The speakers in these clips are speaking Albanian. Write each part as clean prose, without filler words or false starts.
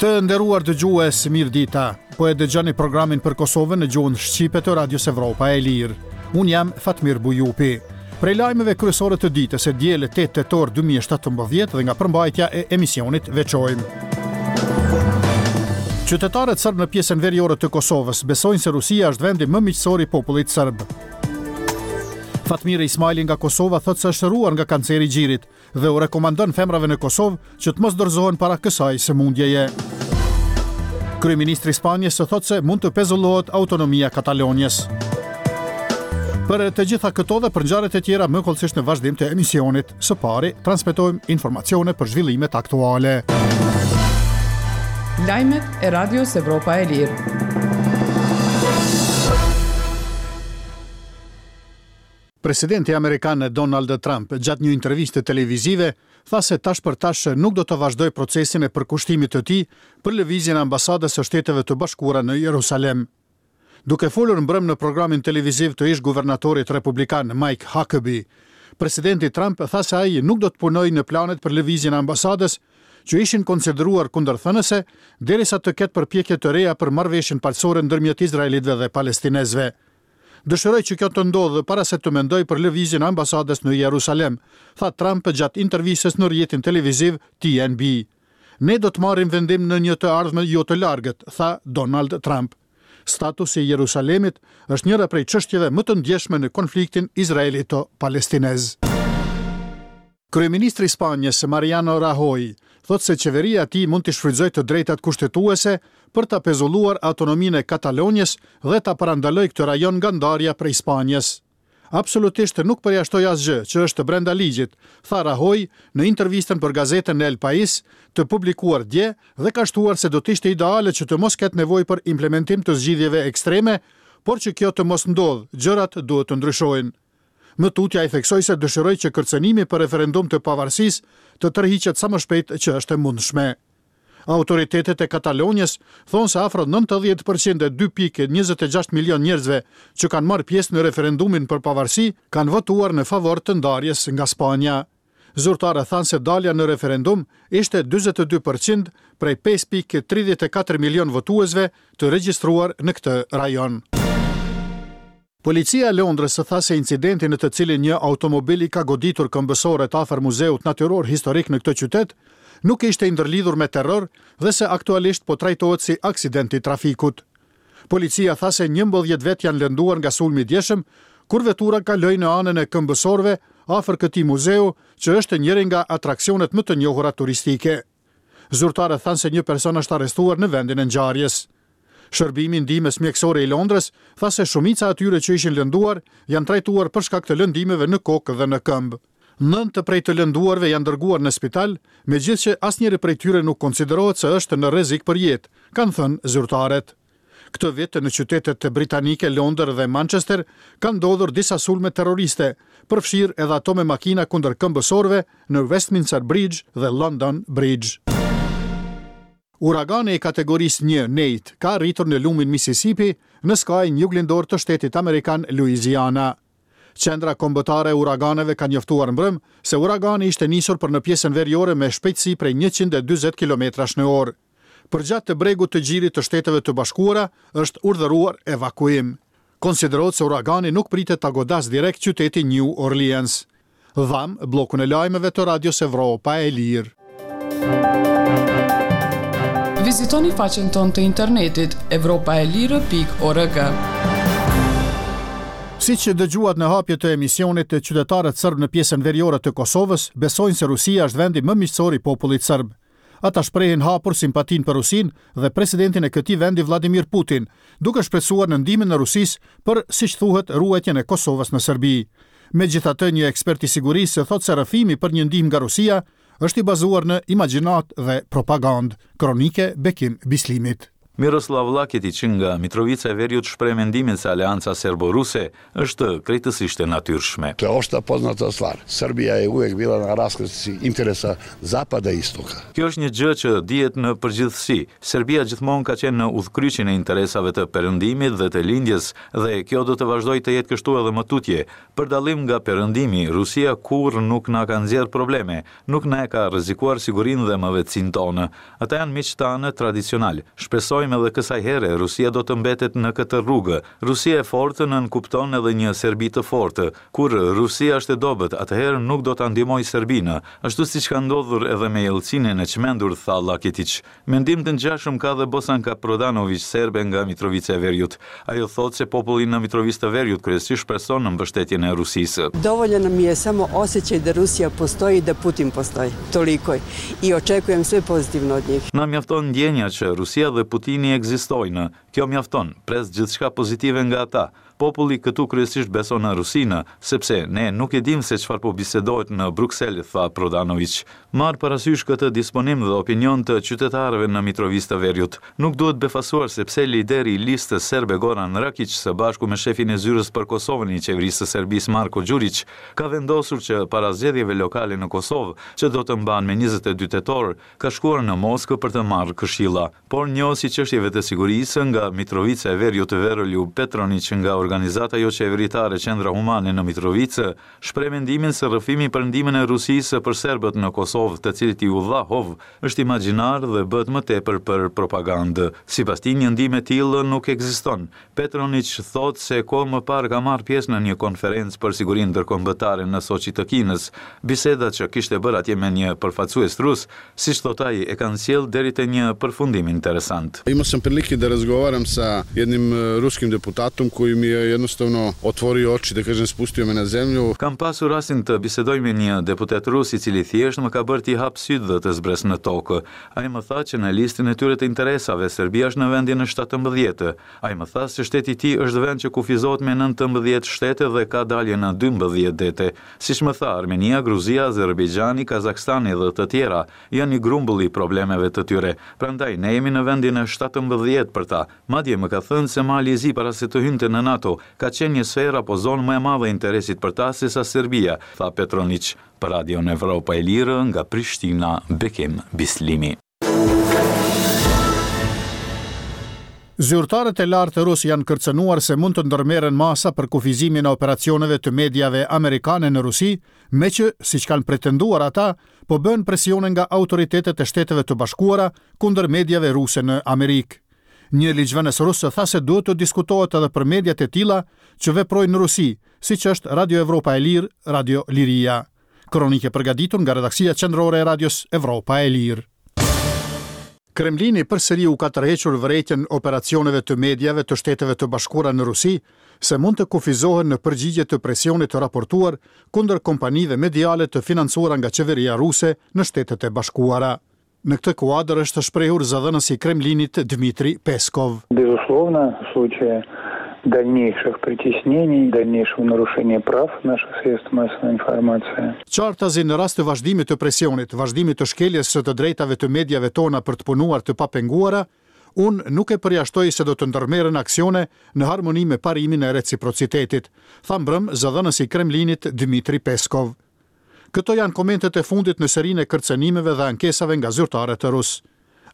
Të nderuar dëgjues, mirëdita. Po e dëgjoni programin për Kosovën në gjuhën shqipe të Radios Evropa e Lirë. Unë jam Fatmir Bujupi. Prej lajmeve kryesore të ditës së dielë 8 tetor 2017 dhe nga përmbajtja e emisionit veçojmë. Qytetarët sërbë në pjesën veriore të Kosovës besojnë se Rusia është vendi më miqësor i popullit sërb. Fatmire Ismajli nga Kosova thotë se është shëruar nga kanceri i gjirit. dhe u rekomandon femrave në Kosovë që të mos dorëzohen para kësaj sëmundjeje. Kryeministri i Spanjës thotë se mund të pezullohet autonomia e Katalonjës. Për të gjitha këto dhe për ngjarjet e tjera më hollësisht në vazhdim të emisionit, së pari transmetojmë informacione për zhvillimet aktuale. Lajmet e Radios Evropa e Lirë. Presidenti amerikan Donald Trump gjatë një interviste televizive tha se tash për tash nuk do të vazhdojë procesin e përkushtimit të tij për lëvizjen e ambasadës së Shteteve të Bashkuara në Jerusalem. Duke folur mbrëmë në programin televiziv të ish-guvernatorit republikan Mike Huckabee, presidenti Trump tha se ai nuk do të punojë në planet për lëvizjen e ambasadës që ishin konsideruar kundërthënëse derisa të ketë përpjekje të reja për marrëveshjen paqësore ndërmjet izraelitëve dhe palestinezëve. Dëshiroj që kjo të ndodhë para se të mendoj për lëvizjen e ambasadës në Jerusalem, tha Trump gjatë intervistës në rrjetin televiziv TNB. Ne do të marrim vendim në një të ardhme jo të largët, tha Donald Trump. Statusi i Jerusalemit është njëra prej çështjeve më të ndjeshme në konfliktin izraelito-palestinez. Kryeministri i Spanjës, Mariano Rajoy, thotë se qeveria e tij mund t'i shfrytëzojë të drejtat kushtetuese për ta pezulluar autonominë e Katalonjës dhe ta parandalojë këtë rajon nga ndarja prej Spanjës. Absolutisht nuk përjashtoj asgjë që është brenda ligjit, tha Rajoy në intervistën për gazetën El Pais, të publikuar dje dhe ka shtuar se do të ishte ideale që të mos ketë nevojë për implementim të zgjidhjeve ekstreme, por që kjo të mos ndodhë, gjërat duhet të ndryshojnë. Më tutje ai theksoi se dëshiroi që kërcënimi për referendum të pavarësisë të tërhiqet sa më shpejt që është e mundshme. Autoritetet e Katalonjës thonë se afro 90 për qind e 2.26 milionë njerëzve që kanë marrë pjesë në referendumin për pavarësi kanë votuar në favor të ndarjes nga Spanja. Zyrtarët thanë se dalja në referendum ishte 42 për qind prej 5.34 milionë votuesve të regjistruar në këtë rajon. Policia e Londrës tha se incidenti në të cilin një automobil i ka goditur këmbësorët afër Muzeut Natyror Historik në këtë qytet, nuk ishte i ndërlidhur me terror dhe se aktualisht po trajtohet si aksident i trafikut. Policia tha se 11 vetë janë lënduar nga sulmi i djeshëm, kur vetura kaloi në anën e këmbësorëve afër këtij muzeu, që është njëri nga atraksionet më të njohura turistike. Zyrtarët thanë se një person është arrestuar në vendin e ngjarjes. Shërbimi i Ndihmës Mjekësore i Londrës tha se shumica e atyre që ishin lënduar janë trajtuar për shkak të lëndimeve në kokë dhe në këmbë. Nëntë prej të lënduarve janë dërguar në spital, megjithëqë asnjëri prej tyre nuk konsiderohet se është në rrezik për jetë, kanë thënë zyrtarët. Këtë vit në qytetet britanike Londër dhe Manchester kanë ndodhur disa sulme terroriste, përfshirë edhe ato me makina kundër këmbësorëve në Westminster Bridge dhe London Bridge. Uragani i kategorisë një, Nate, ka arritur në lumin Mississippi, në skajin juglindor të shtetit amerikan Louisiana. Qendra Kombëtare e Uraganeve ka njoftuar mbrëmë se uragani ishte nisur për në pjesën veriore me shpejtësi prej 140 kilometrash në orë. Përgjatë bregut të gjirit të Shteteve të Bashkuara është urdhëruar evakuim. Konsiderohet se uragani nuk pritet ta godasë direkt qytetin New Orleans. Dhamë bllokun e lajmeve të Radios Evropa e Lirë. Vizitoni faqen tonë të internetit evropaelire.org. Siç dëgjuat në hapje të emisionit, qytetarët sërbë në pjesën veriore të Kosovës besojnë se Rusia është vendi më miqësor i popullit sërb. Ata shprehin hapur simpatinë për Rusinë dhe presidentin e këtij vendi Vladimir Putin, duke shpresuar në ndihmën e Rusisë për, siç thuhet, ruajtjen e Kosovës në Serbi. Megjithatë, një ekspert i sigurisë thotë se rrëfimi për një ndihmë nga Rusia është i bazuar në imagjinatë dhe propagandë. Kronikë e Bekim Bislimit. Miroslav Laketiq nga Mitrovica e Veriut shpreh mendimin se aleanca serbo-ruse është krejtësisht e natyrshme. To je opšta poznata stvar. Srbija je uvek bila na raskrsnici interesa zapada i istoka. Kjo është një gjë që dihet në përgjithësi. Serbia gjithmonë ka qenë në udhëkryqin e interesave të Perëndimit dhe të Lindjes dhe kjo do të vazhdojë të jetë kështu edhe më tutje. Për dallim nga Perëndimi, Rusia kurrë nuk na ka nxjerrë probleme, nuk na e ka rrezikuar sigurinë dhe mëvetësinë tonë. Ata janë miqtë tanë tradicionalë. Shpresojmë edhe kësaj here Rusia do të mbetet në këtë rrugë. Rusia e fortë nënkupton edhe një Serbi të fortë. Kur Rusia është e dobët, atëherë nuk do ta ndihmojë Serbinë, ashtu siç ka ndodhur edhe me Jelcinin e çmendur, tha Laketiq. Mendim të ngjashëm ka dhe Bosanka Prodanoviq, serbe nga Mitrovica e Veriut. Ajo thotë se populli në Mitrovicë të Veriut kryesisht shpreson në mbështetjen e Rusisë. Dovoljan nam je samo osjećaj da Rusija postoji i da Putin postoji. Toliko. I očekujem sve pozitivno od njih. Na mjafton ndjenja që Rusia dhe Putini ekzistojnë. Kjo mjafton. Pres gjithçka pozitive nga ata. Populli këtu kryesisht beson në Rusinë, sepse ne nuk e dimë se çfarë po bisedohet në Bruksel, tha Prodanoviq. Marrë parasysh këtë disponim dhe opinion të qytetarëve në Mitrovicë të Veriut, nuk duhet befasuar se pse lideri i Listës Serbe Goran Rakiq së bashku me shefin e Zyrës për Kosovën i Qeverisë së Serbisë Marko Gjuriq ka vendosur që para zgjedhjeve lokale në Kosovë, që do të mbahen me 22 tetor, ka shkuar në Moskë për të marrë këshilla. Por njohës i çështjeve të sigurisë nga Mitrovica e Veriut Veroljub Petroniq nga organizata joqeveritare Qendra Humane në Mitrovicë shpreh mendimin se rrëfimi për ndihmën e Rusisë për serbët në Kosovë të cilit iu dha hov është imagjinar dhe bëhet më tepër për propagandë. Sipas tij një ndihmë e tillë nuk ekziston. Petroniq thotë se kohë më parë ka marrë pjesë në një konferencë për sigurinë ndërkombëtare në Soçi të Kinës. Biseda që kishte bërë atje me një përfaqësues rus Siç thotë ai, e kanë sjellë deri te një përfundim interesant. Imao sam prilike da razgovaram sa jednim ruskim deputatom koji mi je jednostavno otvorio oči, da kažem, spustio me na zemlju. Kam pasur rastin të bisedoj me një deputet rus i cili thjesht më ka bërë t'i hap sytë dhe të zbres në tokë. Ai më tha që në listën e tyre të interesave, Serbia është në vendin e 17. Ai më tha se shteti i tij është vend që kufizohet me 19 shtete dhe ka dalje në 12 dete. Siç më tha, Armenia, Gruzia, Azerbejxhani, Kazakstani dhe të tjera, janë një grumbull i problemeve të tyre. Prandaj, ne jemi në vendin e 17 për ta. Madje më ka thënë se Mali i Zi para se të hynte në NATO, ka qenë një sferë apo zonë më e madhe e interesit për ta sesa Serbia, tha Petroniq. Për Radion Evropa e Lirë, nga Prishtina, Bekim Bislimi. Zyrtarët e lartë rusë janë kërcënuar se mund të ndërmerren masa për kufizimin e operacioneve të mediave amerikane në Rusi, meqë, siç kanë pretenduar ata, po bëhen presione nga autoritetet e Shteteve të Bashkuara kundër mediave ruse në Amerikë. Një ligjvënës rus tha se duhet të diskutohet edhe për mediat e tilla që veprojnë në Rusi, siç është Radio Evropa e Lirë, Radio Liria. Kronikë e përgatitur nga redaksia qendrore e Radios Evropa e Lirë. Kremlini përsëri u ka tërhequr vërejtjen operacioneve të mediave të Shteteve të Bashkuara në Rusi se mund të kufizohen në përgjigje të presionit të raportuar kundër kompanive mediale të financuara nga qeveria ruse në Shtetet e Bashkuara. Në këtë kuadër është shprehur zëdhënësi i Kremlinit Dmitry Peskov. Безусловно, в случае дальнейших притеснений, дальнейшего нарушения прав наших средств массовой информации. Qartazi në rast të vazhdimit të presionit, vazhdimit të shkeljes së të drejtave të mediave tona për të punuar të papenguara, unë nuk e përjashtoj se do të ndërmerren aksione në harmoni me parimin e reciprocitetit, tha mbrëmë zëdhënësi i Kremlinit Dmitry Peskov. Këto janë komentet e fundit në serinë e kërcënimeve dhe ankesave nga zyrtarët rusë.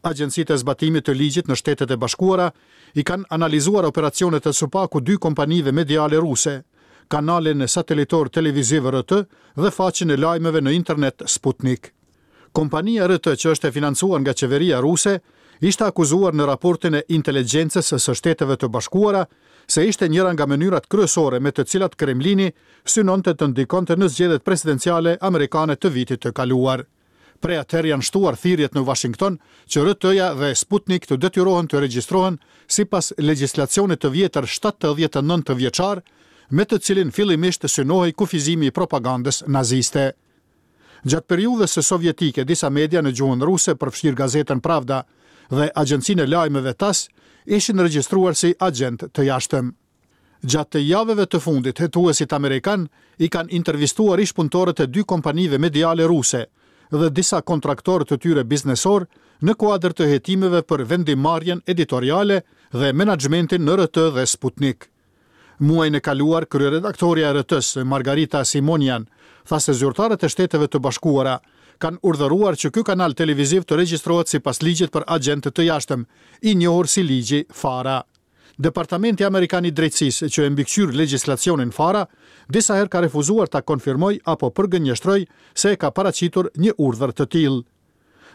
Agjencitë e zbatimit të ligjit në Shtetet e Bashkuara i kanë analizuar operacionet e së paku dy kompanive mediale ruse, kanalin satelitor televiziv RT dhe faqen e lajmeve në internet Sputnik. Kompania RT që është e financuar nga qeveria ruse, ishte akuzuar në raportin e inteligjencës së Shteteve të Bashkuara se ishte njëra nga mënyrat kryesore me të cilat Kremlini synonte të ndikonte në zgjedhjet presidenciale amerikane të vitit të kaluar. Prej atëherë janë shtuar thirrjet në Washington që RT-ja dhe Sputnik të detyrohen të regjistrohen sipas legjislacionit të vjetër 79 vjeçar, me të cilin fillimisht synohej kufizimi i propagandës naziste. Gjatë periudhës sovjetike, disa media në gjuhën ruse, përfshirë gazetën Pravda dhe agjencinë e lajmeve TASS, ishin regjistruar si agjentë të jashtëm. Gjatë javëve të fundit, hetuesit amerikanë i kanë intervistuar ish-punëtorët e dy kompanive mediale ruse. dhe disa kontraktorë të tyre biznesorë në kuadër të hetimeve për vendimmarrjen editoriale dhe menaxhmentin në RT dhe Sputnik. Muajin e kaluar, kryeredaktorja e RT-së, Margarita Simonian, tha se zyrtarët e Shteteve të Bashkuara kanë urdhëruar që ky kanal televiziv të regjistrohet sipas ligjit për agjentë të jashtëm, i njohur si ligji Fara. Departamenti Amerikan i Drejtësisë, që e mbikëqyr legjislacionin Fara, disa herë ka refuzuar ta konfirmojë apo përgënjeshtrojë se e ka paraqitur një urdhër të tillë.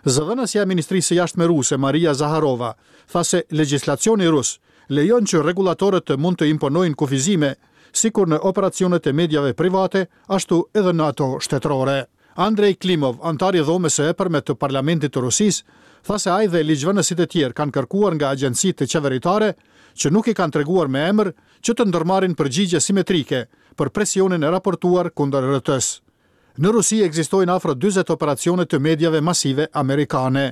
Zëdhënësja e Ministrisë së Jashtme ruse, Maria Zaharova, tha se legjislacioni rus lejon që rregullatorët të mund të imponojnë kufizime, sikur në operacionet e mediave private, ashtu edhe në ato shtetërore. Andrei Klimov, anëtar i Dhomës së Epërme të Parlamentit të Rusisë, tha se ai dhe ligjvënësit e tjerë kanë kërkuar nga agjencitë qeveritare, që nuk i kanë treguar me emër, që të ndërmarrin përgjigje simetrike për presionin e raportuar kundër RT-së. Në Rusi ekzistojnë afro 40 operacione të mediave masive amerikane.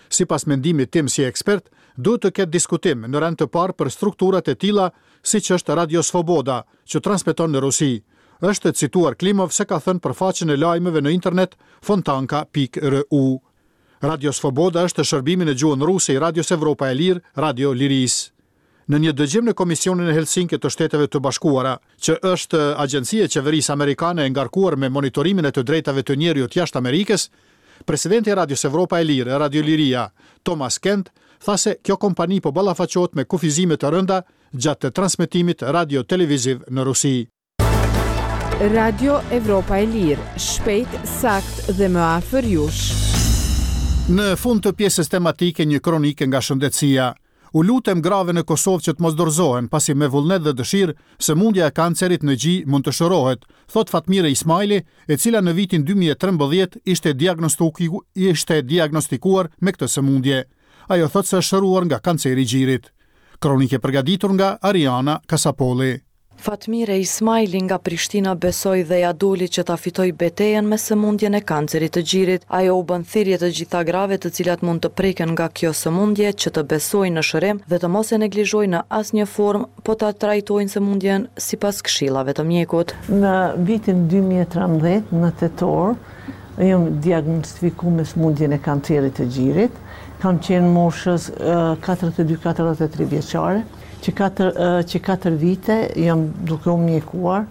Sipas mendimit tim si ekspert, duhet të ketë diskutim në rend të parë për strukturat e tilla siç është Radio Svoboda, që transmeton në Rusi. Është cituar Klimov se ka thënë për faqen e lajmeve në internet fontanka.ru. Radio Svoboda është shërbimi në gjuhën ruse i Radios Evropa e Lirë, Radio Lirisë. Në një dëgjim në Komisionin e Helsinkit të Shteteve të Bashkuara, që është agjenci e qeverisë amerikane e ngarkuar me monitorimin e të drejtave të njeriut jashtë Amerikës, presidenti i Radios Evropa e Lirë, Radio Liria, Thomas Kent, tha se kjo kompani po ballafaqohet me kufizime të rënda gjatë transmetimit radio-televiziv në Rusi. Radio Evropa e Lirë, shpejt, saktë dhe më afër jush. Në fund të pjesës tematike një kronikë nga shëndetësia. U lutem grave në Kosovë që të mos dorëzohen, pasi me vullnet dhe dëshirë, sëmundja e kancerit në gji mund të shërohet, thotë Fatmire Ismajli, e cila në vitin 2013 ishte ishte diagnostikuar me këtë sëmundje. Ajo thotë se është shëruar nga kanceri i gjirit. Kronikë e përgatitur nga Ariana Kasapolli. Fatmire Ismajli nga Prishtina besoi dhe ia doli që ta fitojë betejën me sëmundjen e kancerit të gjirit. Ajo u bën thirrje të gjitha grave të cilat mund të preken nga kjo sëmundje që të besojnë në shërim dhe të mos e neglizhojnë në asnjë formë, po ta trajtojnë sëmundjen sipas këshillave të mjekut. Në vitin 2013, në tetor, jam diagnostifiku me sëmundjen e kancerit të gjirit. Kam qenë moshës 42-43 vjeçare. Që katër, që katër vite jam duke u mjekuar,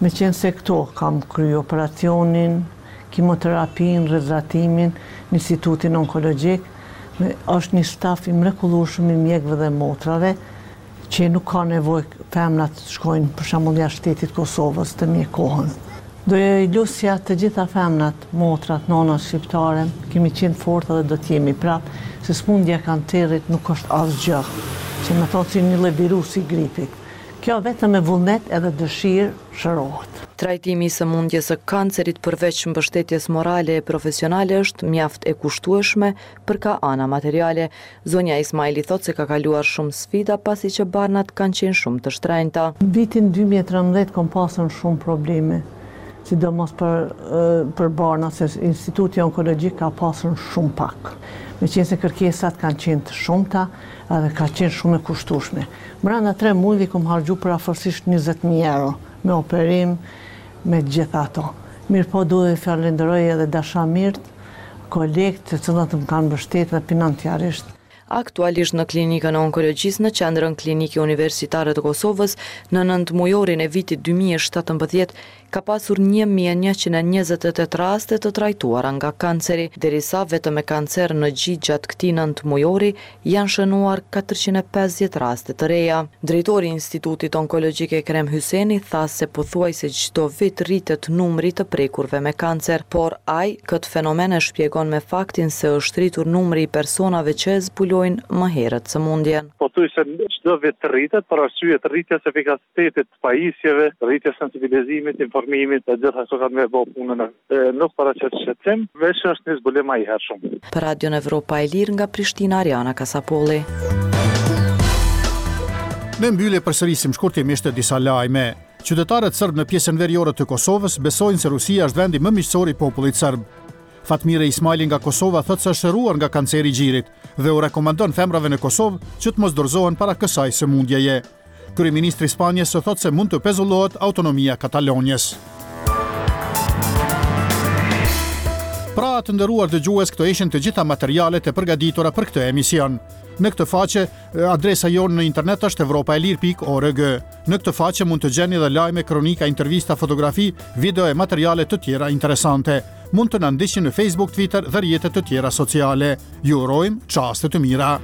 meqenëse këto kam kry operacionin, kimoterapinë, rrezatimin, në Institutin Onkologjik, është një staf i mrekullueshëm i mjekëve dhe motrave, që nuk ka nevojë femrat të shkojnë për shembull jashtë shtetit Kosovës të mjekohen. Do i lusja të gjitha femrat, motrat, nonat shqiptare, kemi qenë të forta dhe do të jemi prapë, se sëmundja e kancerit nuk është asgjë, që me thonë si një lloj virusi i gripit. Kjo vetëm me vullnet edhe dëshirë shërohet. Trajtimi i sëmundjes së kancerit përveç mbështetjes morale e profesionale është mjaft e kushtueshme për ka ana materiale. Zonja Ismajli thotë se ka kaluar shumë sfida pasi që barnat kanë qenë shumë të shtrenjta. Në vitin 2013 kom pasur shumë probleme, sidomos për për barnat, se Instituti Onkologjik ka pasur shumë pak. Meqenëse kërkesat kanë qenë të shumta edhe ka qenë shumë e kushtueshme. Brenda tre mujve kom harxhu përafërsisht 20.000 euro me operim, me gjitha ato. Mirëpo duhet të falenderoj edhe dashamirët, kolegët të cilët më kanë mbështetur dhe financiarisht. Aktualisht në Klinikën e Onkologjisë në Qendrën Klinike Universitare të Kosovës, në nëntëmujorin e vitit 2017, ka pasur 1128 raste të trajtuara nga kanceri, derisa vetëm me kancer në gji gjatë këtij nëntëmujori janë shënuar 450 raste të reja. Drejtori i Institutit Onkologjik Ekrem Hyseni tha se pothuajse çdo vit rritet numri i të prekurve me kancer, por ai këtë fenomen e shpjegon me faktin se është rritur numri i personave që e zbulojnë më herët sëmundjen. Pothuajse çdo vit rritet për arsye të rritjes së efikasitetit të pajisjeve, rritjes sensibilizimit, informimit, e gjitha këto kanë me bo punën e nuk paraqet shqetësim, veç është një zbulim ma i hershëm. Për Radion Evropa e Lirë nga Prishtina, Ariana Kasapolli. Në mbyllje përsërisim shkurtimisht disa lajme. Qytetarët sërbë në pjesën veriore të Kosovës besojnë se Rusia është vendi më miqësor i popullit sërb. Fatmire Ismajli nga Kosova thotë se është shëruar nga kanceri i gjirit dhe u rekomandon femrave në Kosovë që të mos dorëzohen para kësaj sëmundjeje. Kryeministri i Spanjës thotë se mund të pezullohet autonomia e Katalonjës. Pra, të nderuar dëgjues, këto ishin të gjitha materialet e përgatitura për këtë emision. Në këtë faqe, adresa jonë në internet është evropaelire.org. Në këtë faqe mund të gjeni dhe lajme, kronika, intervista, fotografi, video e materiale të tjera interesante. Mund të na ndiqni në Facebook, Twitter dhe rrjete të tjera sociale. Ju urojmë çaste të mira.